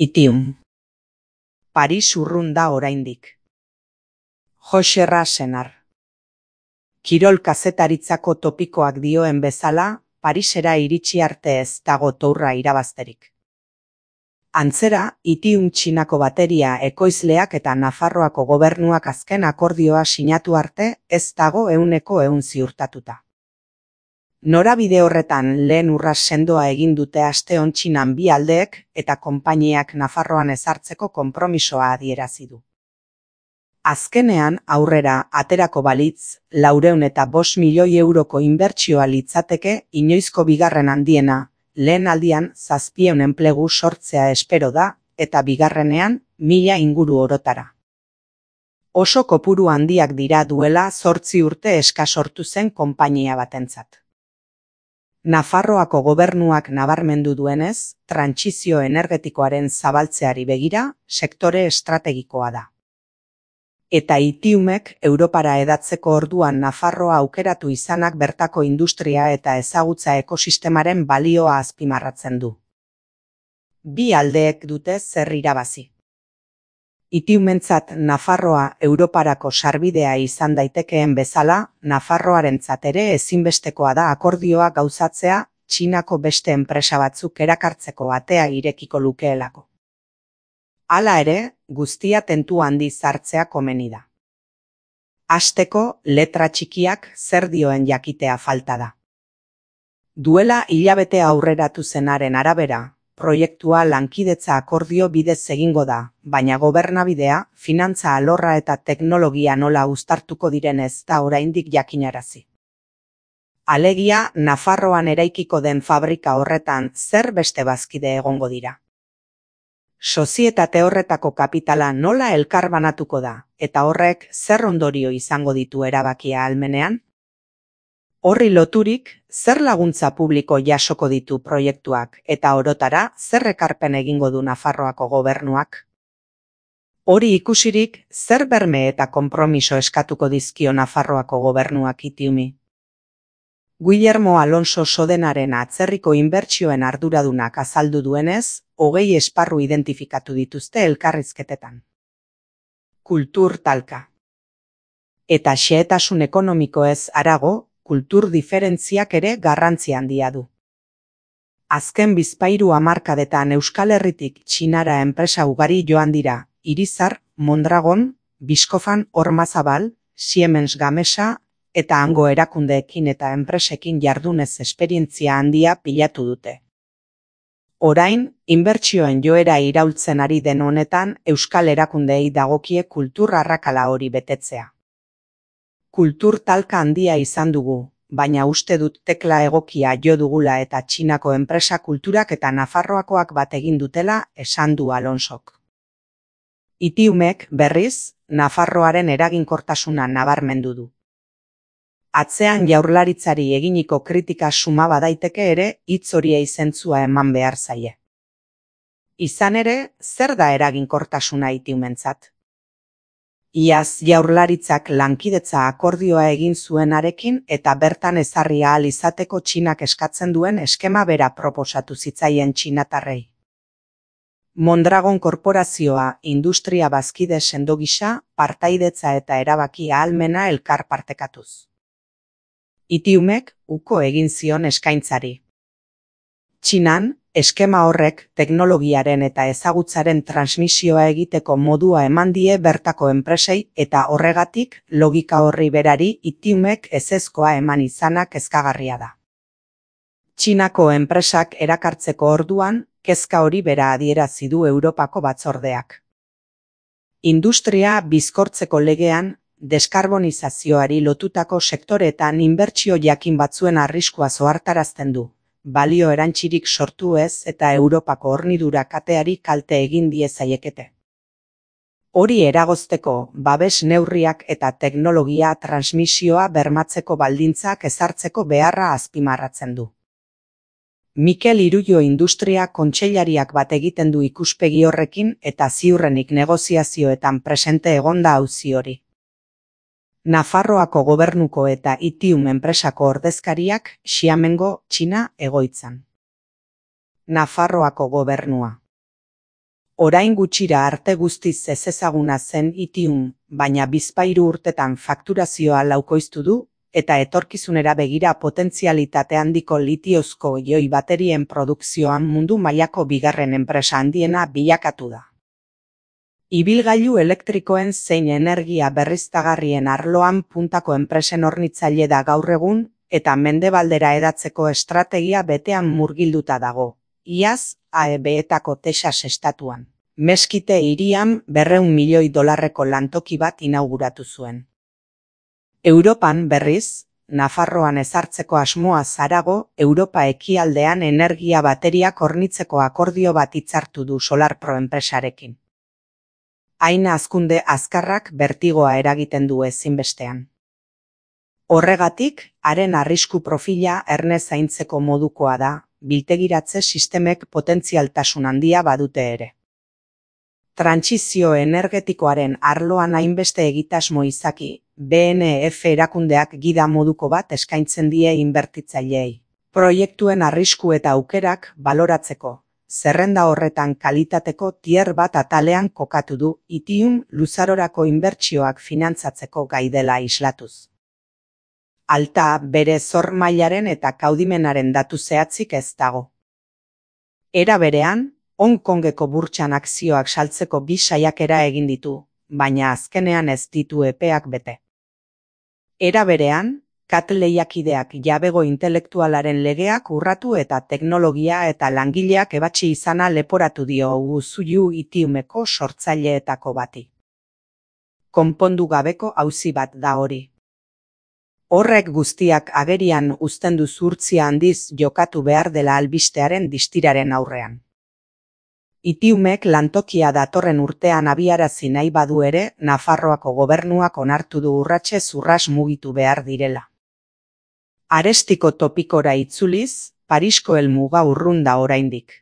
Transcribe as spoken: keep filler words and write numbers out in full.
Itium. Paris urrun da oraindik. Jose Rasenar. Kirol kazetaritzako topikoak dioen bezala, Parisera iritsi arte ez dago tourra irabazterik. Antzera, Itium Txinako bateria ekoizleak eta Nafarroako gobernuak azken akordioa sinatu arte ez dago ehuneko ehun ziurtatuta. Norabide horretan lehen urras sendoa egin dute aste hontxinan bi aldeek eta konpainiak Nafarroan ezartzeko konpromisoa adierazi du. Azkenean aurrera aterako balitz, laurehun eta bost milioi euroko inbertsioa litzateke inoizko bigarren handiena, lehen aldian zazpiehun enplegu sortzea espero da eta bigarrenean mila inguru orotara. Oso kopuru handiak dira duela zortzi urte eskas sortu zen konpainia batentzat. Nafarroako gobernuak nabarmendu duenez, trantsizio energetikoaren zabaltzeari begira, sektore estrategikoa da. Eta Itiumek Europara edatzeko orduan Nafarroa aukeratu izanak bertako industria eta ezagutza ekosistemaren balioa azpimarratzen du. Bi aldeek dute zer irabazi. Itiumentzat Nafarroa Europarako sarbidea izan daitekeen bezala, Nafarroarentzat ere ezinbestekoa da akordioa gauzatzea Txinako beste enpresa batzuk erakartzeko atea irekiko lukeelako. Hala ere, guztia tentu handiz hartzea komeni da. Hasteko, letra txikiak zer dioen jakitea falta da. Duela hilabete aurreratu zenaren arabera, proiektua lankidetza akordio bidez egingo da, baina gobernabidea, finantza alorra eta teknologia nola uztartuko direnez da oraindik jakinarazi. Alegia, Nafarroan eraikiko den fabrika horretan zer beste bazkide egongo dira. Sozietate horretako kapitala nola elkarbanatuko da, eta horrek zer ondorio izango ditu erabakia ahalmenean? Horri loturik, zer laguntza publiko jasoko ditu proiektuak eta orotara zer ekarpen egingo du Nafarroako gobernuak? Hori ikusirik, zer berme eta konpromiso eskatuko dizkio Nafarroako gobernuak Itiumi? Guillermo Alonso Sodenaren atzerriko inbertsioen arduradunak azaldu duenez, hogei esparru identifikatu dituzte elkarrizketetan. Kultur talka. Eta xehetasun ekonomikoez harago, kultur diferentziak ere garrantzi handia du. Azken bizpahiru hamarkadetan Euskal Herritik Txinara enpresa ugari joan dira, Irizar, Mondragon, Biskofan, Ormazabal, Siemens Gamesa, eta hango erakundeekin eta enpresekin jardunez esperientzia handia pilatu dute. Orain, inbertsioen joera iraultzen ari den honetan euskal erakundeei dagokie kultur arrakala hori betetzea. Kultur talka handia izan dugu, baina uste dut tekla egokia jo dugula eta Txinako enpresa kulturak eta Nafarroakoak bat egin dutela esan du Alonsok. Itiumek, berriz, Nafarroaren eraginkortasuna nabarmendu du. Atzean jaurlaritzari eginiko kritika suma badaiteke ere hitz horiei zentzua eman behar zaie. Izan ere, zer da eraginkortasuna Itiumentzat? Iaz jaurlaritzak lankidetza akordioa egin zuenarekin eta bertan ezarri ahal izateko Txinak eskatzen duen eskema bera proposatu zitzaien txinatarrei. Mondragon korporazioa industria bazkide sendo gisa, partaidetza eta erabaki ahalmena elkar partekatuz. Itiumek uko egin zion eskaintzari. Txinan, eskema horrek teknologiaren eta ezagutzaren transmisioa egiteko modua eman die bertako enpresei eta horregatik logika horri berari Itiumek ezezkoa eman izanak kezkagarria da. Txinako enpresak erakartzeko orduan, kezka hori bera adierazi du Europako batzordeak. Industria bizkortzeko legean, deskarbonizazioari lotutako sektoreetan inbertsio jakin batzuen arriskua zohartarazten du, balio erantzirik sortu ez eta Europako hornidura kateari kalte egin diezaiekete. Hori eragozteko, babes neurriak eta teknologia transmisioa bermatzeko baldintzak ezartzeko beharra azpimarratzen du. Mikel Irullo Industria kontseilariak bat egiten du ikuspegi horrekin eta ziurrenik negoziazioetan presente egonda auzi hori. Nafarroako gobernuko eta Itium enpresako ordezkariak Xiamengo, Txina egoitzan. Nafarroako gobernua. Orain gutxira arte guztiz ezezaguna zen litium, baina bizpahiru urtetan fakturazioa laukoiztu du, eta etorkizunera begira potentzialitate handiko litiozko ioi baterien produkzioan mundu mailako bigarren enpresa handiena bilakatu da. Ibilgailu elektrikoen zein energia berriztagarrien arloan puntako enpresen hornitzaile da gaur egun, eta mendebaldera hedatzeko estrategia betean murgilduta dago. Iaz, A E B-etako Texas estatuan. Meskite hirian berrehun milioi dolarreko lantoki bat inauguratu zuen. Europan berriz, Nafarroan ezartzeko asmoa zarago, Europa ekialdean energia bateriak hornitzeko akordio bat hitzartu du SolarPro enpresarekin. Hain hazkunde azkarrak bertigoa eragiten du ezinbestean. Horregatik, haren arrisku profila erne zaintzeko modukoa da, biltegiratze sistemek potentzialtasun handia badute ere. Trantsizio energetikoaren arloan hainbeste egitasmo izaki, B N F erakundeak gida moduko bat eskaintzen die inbertitzaileei. Proiektuen arrisku eta aukerak baloratzeko, zerrenda horretan kalitateko tier bat atalean kokatu du litium luzarorako inbertsioak finantzatzeko gai dela islatuz. Alta bere zor mailaren eta kaudimenaren datu zehatzik ez dago. Era berean, Hong Kongeko burtsan akzioak saltzeko bi saiakera egin ditu, baina azkenean ez ditu epeak bete. Era berean, C A T lehiakideak jabego intelektualaren legeak urratu eta teknologia eta langileak ebatsi izana leporatu dio Usuyu litiumeko sortzaileetako bati. Konpondu gabeko auzi bat da hori. Horrek guztiak agerian uzten du zuhurtzia handiz jokatu behar dela albistearen distiraren aurrean. Litiumek lantokia datorren urtean abiarazi nahi badu ere, Nafarroako gobernuak onartu du urratsez urras mugitu behar direla. Arestiko topikora itzuliz, Parisko helmuga urrun da oraindik.